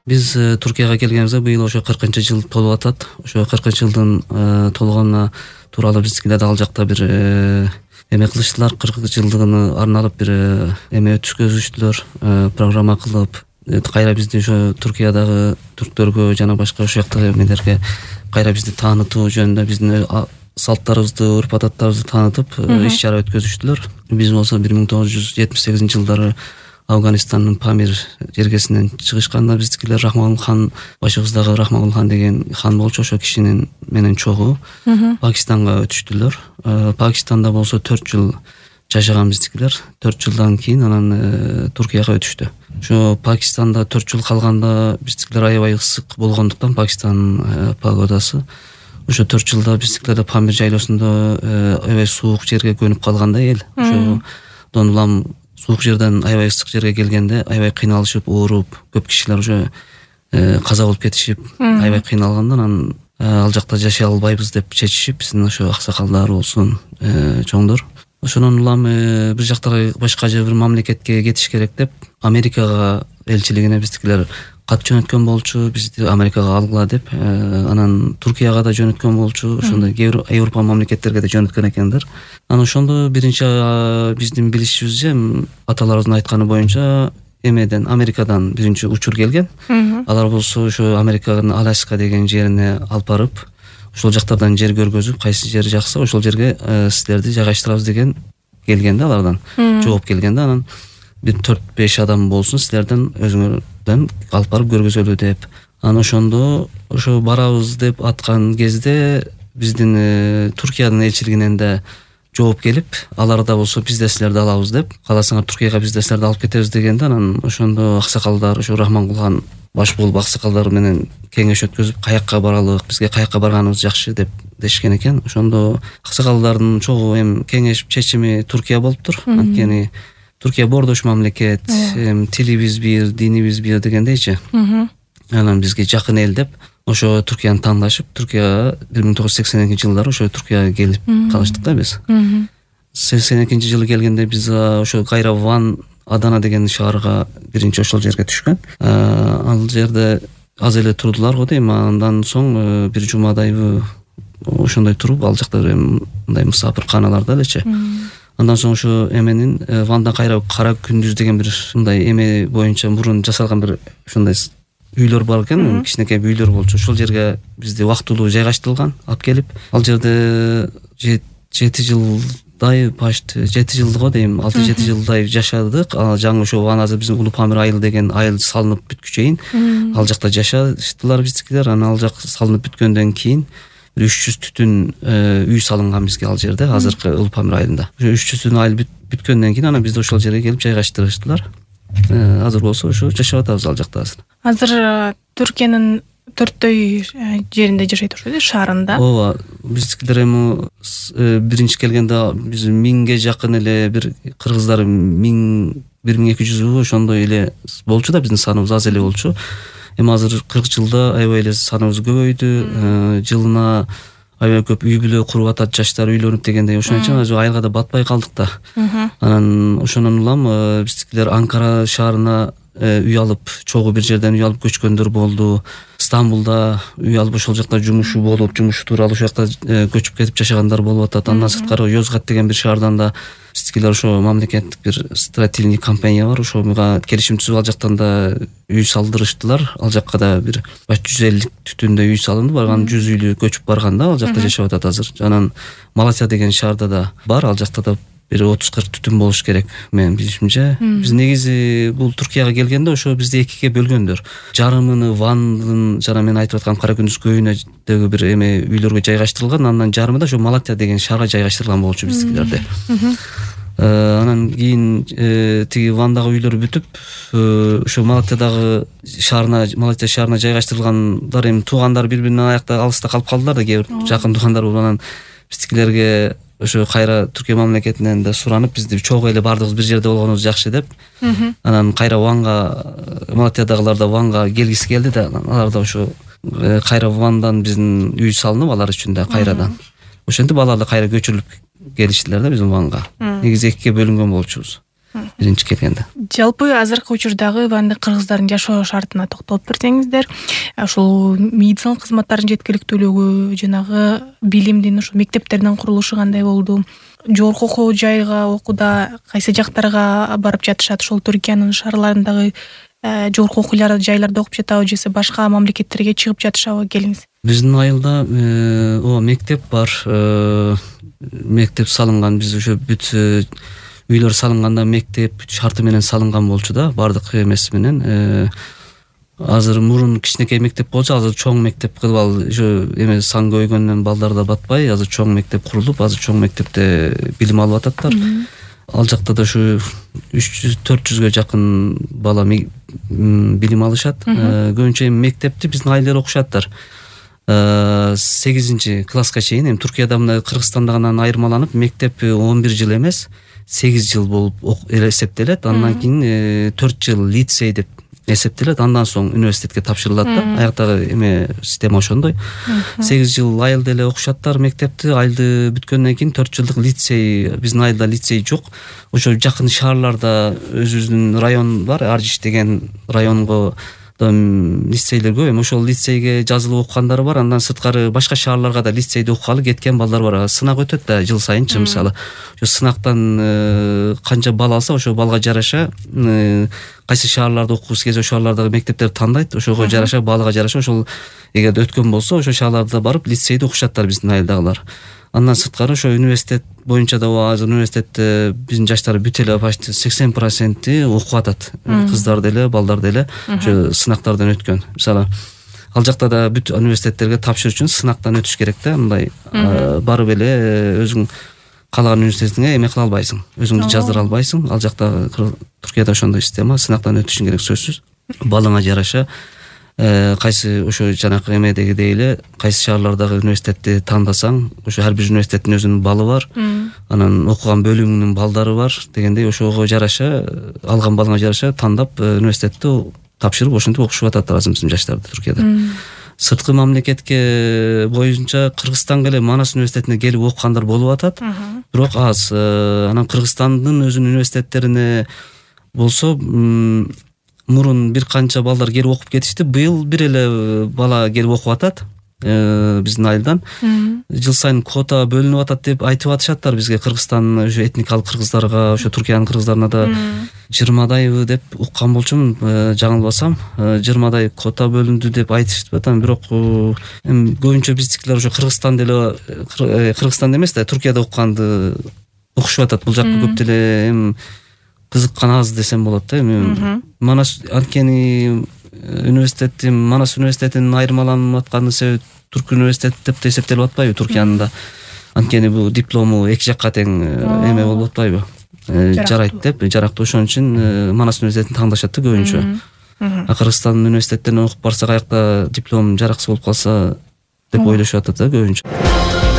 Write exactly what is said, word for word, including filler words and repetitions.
Биз Туркияга келгенибизде быйыл ошо кыркынчы жыл толуп атат. Ошо кыркынчы жылдын толгонуна тууралуу биздикилерде ал жакта бир эме кылыштылар. кырк жылдыгын арналып бир эме өткөзүштүлөр, программа кылып. Кайра бизди ошо Туркиядагы түрктөргө жана башка ошол жактагы эмелерге кайра бизди таанытуу жөнүндө биздин салттарыбызды, урп-адаттарыбызды таанытып иш чара өткөзүштүлөр. Биз болсо бир миң тогуз жүз жетимиш сегизинчи жылдары Афганистандын Памир жергесинен чыгышканда биздикилер Рахмагул хан, башыбыздагы Рахмагул хан деген хан болчу, ошо кишинин менен чогуу Пакистанга өтүштүлөр. Пакистанда болсо төрт жыл жашаган биздикилер. төрт жылдан кийин анан Туркияга өтүштү. Ошо Пакистанда төрт жыл калганда биздикилер аябай ысык болгондуктан Пакистан погодасы ошо төрт жылда биздикилерде Памир жайлоосунда аябай суук жерге көнүп калганда эл ошодон улам суук жерден аябай ысык жерге келгенде аябай кыйналышып, ооруп, көп кишилер ошо каза болуп кетишип, аябай кыйналганда анан ал жакта жашай албайбыз деп чечишип, биздин ошо аксакалдар болсун, чоңдор. Ошонун улам бир жактагы башка же бир мамлекетке кетиш керек деп Америкага элчилигине биздикилер кат жөнөткөн болчу, бизди Америкага алгыла деп. Анан Туркияга да жөнөткөн болчу, ошондой кээ бир Европа мамлекеттерге да жөнөткөн экендер. Анан ошондо биринчи биздин билишибизче, аталарыбыздын айтканы боюнча эмеден, Америкадан биринчи учур келген. Алар болсо ошо Американын Аляска деген жерине алып барып, ошол жактардан жер көргөзүп, кайсы жер жакса ошол жерге силерди жайгаштырабыз деген келгенде алардан жооп келгенде, анан бир төрт беш адам болсун силерден өзүңөрдөн алып барып көргөзөлү деп. Анан ошондо ошо барабыз деп аткан кезде биздин Туркиянын элчилигинен да жооп келип, алар да болсо биз да силерди алабыз деп, кааласаңар Туркияга биз да силерди алып кетебиз дегенде, анан ошондо аксакалдар, ошо Рахмангул хан баш болуп аксакалдар менен кеңеш өткөзүп, каякка баралык, бизге каякка барганыбыз жакшы деп дешкен экен. Ошондо аксакалдардын чогуу эми кеңеш чечими Туркия болуптур. Анткени Туркия боордош мамлекет, тилибиз бир, динибиз бир дегендейчи. Анан бизге жакын эл деп ошо Туркияны тандашып, Туркияга бир миң тогуз жүз сексен экинчи жылдары ошо Туркияга келип калыштык да биз. сексен экинчи жылы келгенде биз ошо кайра Ван Адана деген шаарга биринчи ошол жерге түшкөн. Ал жерде аз эле турдулар го дейм. Андан соң бир жумадайбы ошондой туруп, ал жакта мындай мусафирканаларда элечи. Андан соң ошо эменин Вандан кайра Кара күндүз деген бир мындай эме боюнча мурун жасалган бир ошондой үйлөр бар экен, кичинекей үйлөр болчу. Ошол жерге бизди убактылуу жайгаштырылган, алып келип, ал жерде жети жылдай, почти жети жыл го дейм, алты жети жылдай жашадык. Жаңы ошо Ван азыр биздин Улуу Памир айыл деген айыл салынып бүткүчөйүн ал жакта жашаштылар биздикилер. Анан ал жак салынып бүткөндөн кийин бир үч жүз түтүн үй салынган бизге ал жерде, азыркы Улуу Памир айылында. Ошо үч жүз түтүн айыл бүткөндөн кийин анан бизди ошол жерге келип жайгаштырыштылар. Азыр болсо ошо жашап атабыз ал жакта азыр. Азыр Түркиянын төрттөй жеринде жашайт ошо, шаарында. Ооба, биздикилер эми биринчи келгенде биз миңге жакын эле, бир кыргыздар миң бир миң эки жүзбү ошондой эле болчу да, биздин саныбыз аз эле болчу. Эми азыр кырк жылда аябай эле саныбыз көбөйдү. Жылына аябай көп үй бүлө куруп атат, жаштар үйлөнүп дегендей. Ошон үчүн азыр айылга да батпай калдык да. Анан ошонун улам биздикилер Анкара шаарына үй алып, чогуу бир жерден үй алып көчкөндөр болду. Стамбулда үй алып ошол жакта жумушу болуп, жумуш тууралуу ошол жакта көчүп кетип жашагандар болуп атат. Андан сырткары Йозгат деген бир шаардан да биздикилер ошо мамлекеттик бир строительный компания бар, ошого келишим түзүп ал жактан да үй салдырыштылар. Ал жакка да бир жүз элүү түтүндөй үй салынды, барган жүз үйлүү көчүп барган да, ал жакта жашап атат азыр. Анан Малатия деген шаарда да бар, ал жакта да бир отуз кырк түтүн болуш керек менин билишимче. Биз негизи бул Туркияга келгенде ошо бизди экиге бөлгөндөр. Жарымыны Вандын жана мен айтып аткан Кара күндүз көйүнөдөгү бир эме үйлөргө жайгаштырылган, андан жарымы да ошо Малатия деген шаарга жайгаштырылган болчу биздикилерде. Анан кийин тиги Вандагы үйлөр бүтүп, ошо Малатиядагы шаарына, Малатия шаарына жайгаштырылгандар эми туугандар бири-биринен аякта алыста калып калдылар да, кээ бир жакын туугандар болуп. Анан биздикилерге ошо кайра Түркия мамлекетинен да суранып, бизди чогуу эле бардыгыбыз бир жерде болгонубуз жакшы деп. Анан кайра Ванга, Малатиядагылар да Ванга келгиси келди да, алар да ошо кайра Вандан биздин үй салынып, алар үчүн да кайрадан. Ошентип алар да кайра көчүрүлүп келиштилер да биздин Ванга. Негизи экиге бөлүнгөн болчубуз. биринчи келгенде. Жалпы азыркы учурдагы ванды кыргыздардын жашоо шартына токтолуп берсеңиздер, ушул медициналык кызматтардын жеткиликтүүлүгү, жанагы билимдин ушул мектептердин курулушу кандай болду? Жогорку окуу жайга окууда кайсы жактарга барып жатышат? Ошол Түркиянын шаарларындагы жогорку окуу жайларда окуп жатабы же башка мамлекеттерге чыгып жатышабы? Келиңиз. Биздин айылда о мектеп бар, мектеп салынган. Биз ошо бүт үйлөр салынганда мектеп шарты менен салынган болчу да, бардык эмеси менен. Азыр мурун кичинекей мектеп болчу, азыр чоң мектеп кылып ал ошо эме сан көйгөндөн балдар да батпай, азыр чоң мектеп курулуп, азыр чоң мектепте билим алып ататтар. Ал жакта да ушу үч жүз төрт жүзгө жакын бала билим алышат. Көбүнчө мектепти биздин айылдар окушаттар. сегизинчи класска чейин. Эми Туркияда мына Кыргызстандагынан айырмаланып, мектеп он бир жыл эмес, сегиз жыл болуп эсептелет. Андан кийин төрт жыл лицей деп эсептелет. Андан соң университетке тапшырылат да. Аяктагы эме система ошондой. сегиз жыл айылда эле окушаттар мектепти. Айылды бүткөндөн кийин төрт жылдык лицей, биздин айылда лицей жок. Ошо жакын шаарларда өзүбүздүн район бар, Аржиш деген районго лицейлер көп. Эми ошол лицейге жазылып окугандар бар. Андан сырткары башка шаарларга да лицейде окугалы кеткен балдар бар. Сынак өтөт да жыл сайынчы, мисалы. Ошо сынактан канча бал алса, ошо балга жараша кайсы шаарларда окугусу келсе, ошол шаарлардагы мектептерди тандайт. Ошого жараша, балга жараша ошол эгерде өткөн болсо, ошол шаарларда барып лицейде окушаттар биздин айылдагылар. Андан сырткары ошо университет боюнча да азыр университетте биздин жаштар бүт эле почти сексен проценти окуп атат. Кыздар деле, балдар деле ошо сынактардан өткөн. Мисалы, ал жакта да бүт университеттерге тапшыруу үчүн сынактан өтүш керек да. Мындай барып эле өзүң каалаган университетиңе эме кыла албайсың, өзүңдү жаздыра албайсың. Ал жакта Туркияда ошондой система, сынактан өтүшүң керек сөзсүз. Балыңа жараша кайсы ошо жанакы эмедегидей эле кайсы шаарлардагы университетти тандасаң, ошо ар бир университеттин өзүнүн балы бар, анан окуган бөлүмүнүн балдары бар дегендей, ошого жараша, алган балыңа жараша тандап университетти тапшырып ошентип окушуп атат азыр биздин жаштарды Туркияда. Сырткы мамлекетке боюнча Кыргызстанга эле Манас университетине келип окугандар болуп атат, бирок аз. Анан Кыргызстандын өзүнүн университеттерине болсо мурун бир канча балдар келип окуп кетишти. Быйыл бир эле бала келип окуп атат биздин айылдан. Жыл сайын квота бөлүнүп атат деп айтып атышаттар бизге. Кыргызстан ошо этникалык кыргыздарга, ошо Туркиянын кыргыздарына да жыйырмадайбы деп уккан болчумун, жаңылбасам. жыйырмадай квота бөлүндү деп айтышып атам. Бирок эми көбүнчө биздикилер ошо Кыргызстан деле, Кыргызстанда эмес да, Туркияда укканды окушуп атат. Бул жакка көп деле эми кызыккан аз десем болот да. Эми Манас анткени университети, Манас университетинин айырмаланып атканы себеби Турк университет деп эсептелип атпайбы Туркиянда? Анткени бул диплому эки жакка тең эме болуп атпайбы? Жарайт деп, жарактуу. Ошон үчүн Манас университетин тандашат да көбүнчө. А Кыргызстандын университеттерине окуп барсак, аякта диплом жараксыз болуп калса деп ойлошуп атат да көбүнчө.